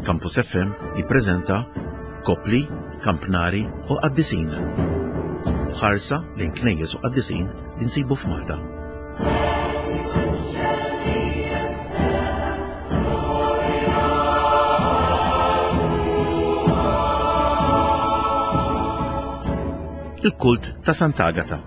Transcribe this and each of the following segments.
Campus FM jippreżenta Kopli, Kampnari u Qaddisin. Ħarsa lejn knejjes u qaddisin li nsibu f'Malta. Il-kult ta' Sant'Agata.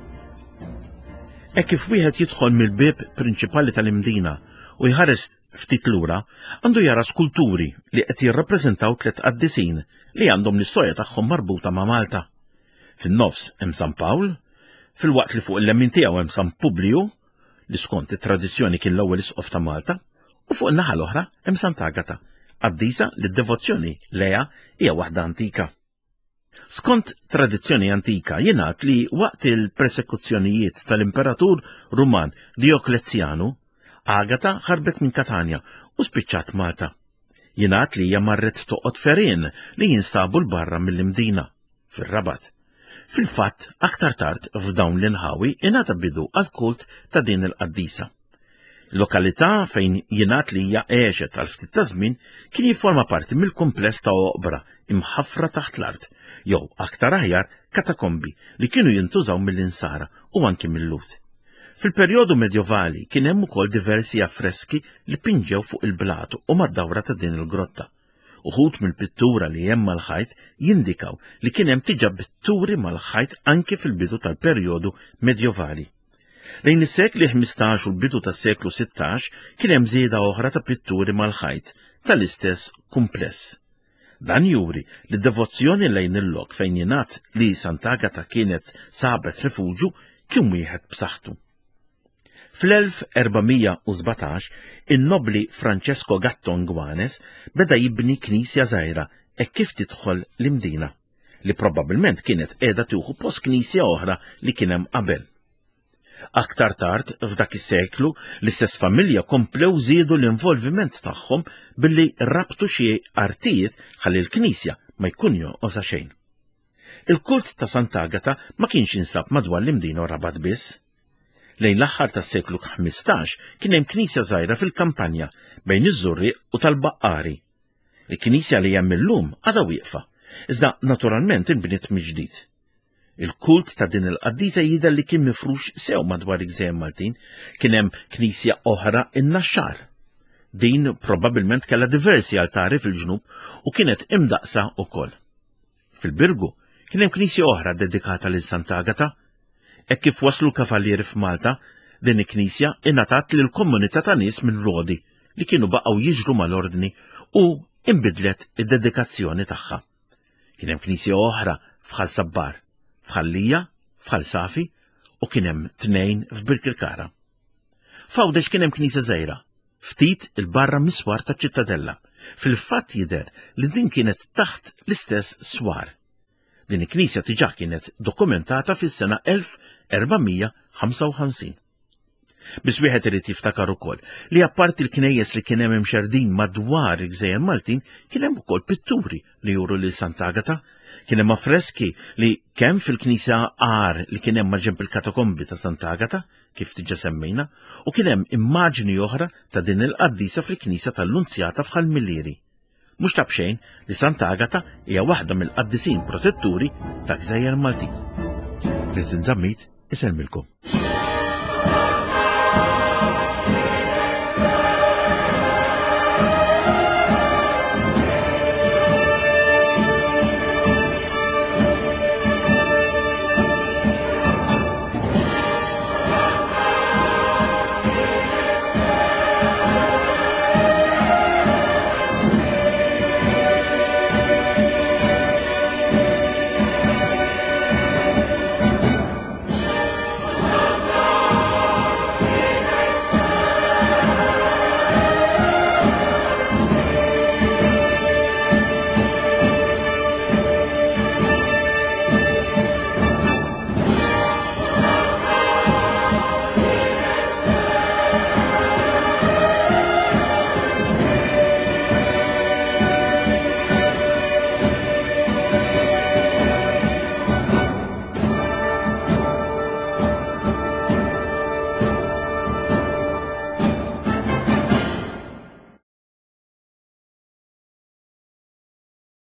Hekk kif wieħed jidħol mill-bieb prinċipali tal-Imdina u jħares ftit lura, għandu jara skulturi li qed jirrappreżentaw tliet qaddisin li għandhom l-istorja tagħhom marbuta ma' Malta. Fin-nofs hemm San Pawl, filwaqt li fuq il-lemin tiegħu hemm San Publiju, li skont it-tradizzjoni kien l-ewwel isqof ta' Malta, u fuq in-naħa l-oħra hemm Sant'Agata, qaddisa li d-devozzjoni lejha hija waħda antika. Skont tradizzjoni antika jingħad li waqt il-persekuzzjonijiet tal-Imperatur Ruman Dioklezjanu, Agata ħarbet minn Katanja u spiċċat Malta. Jingħad li hija marret toqgħod ferien li jinstabu 'l barra mill-Imdina, fir-Rabat. Fil-fatt, aktar tard f'dawn l-inħawi ingħata bidu għall-kult ta' din il-qaddisa. Lokalità fejn jingħad li hija għexet għal ftit ta' żmien kien jifforma parti mill-kumpless ta' oqbra imħaffra taħt l-art, jew aktar aħjar katakombi li kienu jintużaw mill-Insara u anki mil-Lhud. Fil-perjodu Medjovali kien hemm ukoll diversi affreski li pinġew fuq il-blat u mad-dawra ta' din il-grotta. Uħud mill-pittura li hemm mal-ħajt jindikaw li kien hemm diġà pitturi mal-ħajt anki fil-bidu tal-perjodu Medjovali. Lejn is-sekli 15 u l-bidu tas-seklu 16 kien hemm żieda oħra ta' pitturi mal-ħajt tal-istess kumpless. Dan juri li d-devozzjoni lejn il-lok fejn jingħad li Sant'Agata kienet sabet rifuġju kien wieħed b'saħħtu. Fl-1417, in-nobbli Francesco Gatto Nguanes beda jibni knisja żgħira hekk kif tidħol l-Imdina. li probabbilment kienet qiegħda tieħu post knisja oħra li kien hemm qabel. Aktar tard f'dak is-seklu, l-istess familja komplew żiedu l-involviment tagħhom billi rabtu xi artijiet ħalli l-knisja ma jkun jonqosha xejn. Il-kult ta' Sant'Agata ma kienx jinsab madwar l-Imdina u Rabat biss. Lejn l-aħħar tas-seklu 15 kien hemm knisja żgħira fil-kampanja bejn iż-Żurrieq u tal-Baqqari Il-knisja li hemm illum għadha wieqfa, iżda naturalment inbniet mill-ġdid. Il-kult ta' din il-qaddisa jidher li kien mifrux sew madwar il-gżejjer Maltin, kien hemm knisja oħra in-Naxxar. Din probabbilment kellha diversi altari fil-ġnub u kienet imdaqsa wkoll. Fil-Birgu kien hemm knisja oħra dedikata lil Sant'Agata. Hekk kif waslu l-kavallieri f'Malta, din il-knisja ingħatat lil komunità ta' nies minn Rodi li kienu baqgħu jiġru mal-ordni u inbidlet id-dedikazzjoni tagħha. Kien hemm knisja oħra f'Ħal Sabbar, f'Ħal Lija, f'Ħal Safi u kien hemm tnejn f'Birkirkara. F'Għawdex kien hemm knisja żgħira ftit 'il barra mis-swar taċ-Ċittadella. Fil-fatt jidher li din kienet taħt l-istess swar. Din il-knisja diġà kienet dokumentata fis-sena 1455. Biss wieħed irid jiftakar ukoll li apparti l-knejjes li kien hemm imxerdin madwar il-gżejjer Maltin kien hemm ukoll pitturi li juru lil Sant'Agata, kien hemm affreski li kemm fil-knisja għar li kien hemm maġenb il-katakombi ta' Sant'Agata, kif diġà semmejna, u kien hemm immaġni oħra ta' din il-qaddisa fil-knisja tal-Lunzjata f'Ħal Millieri. Mhux ta' b'xejn li Santa Agata hija waħda mill-qaddisin protetturi ta' gżejjer Maltin. Vincent Zammit isellmilkom.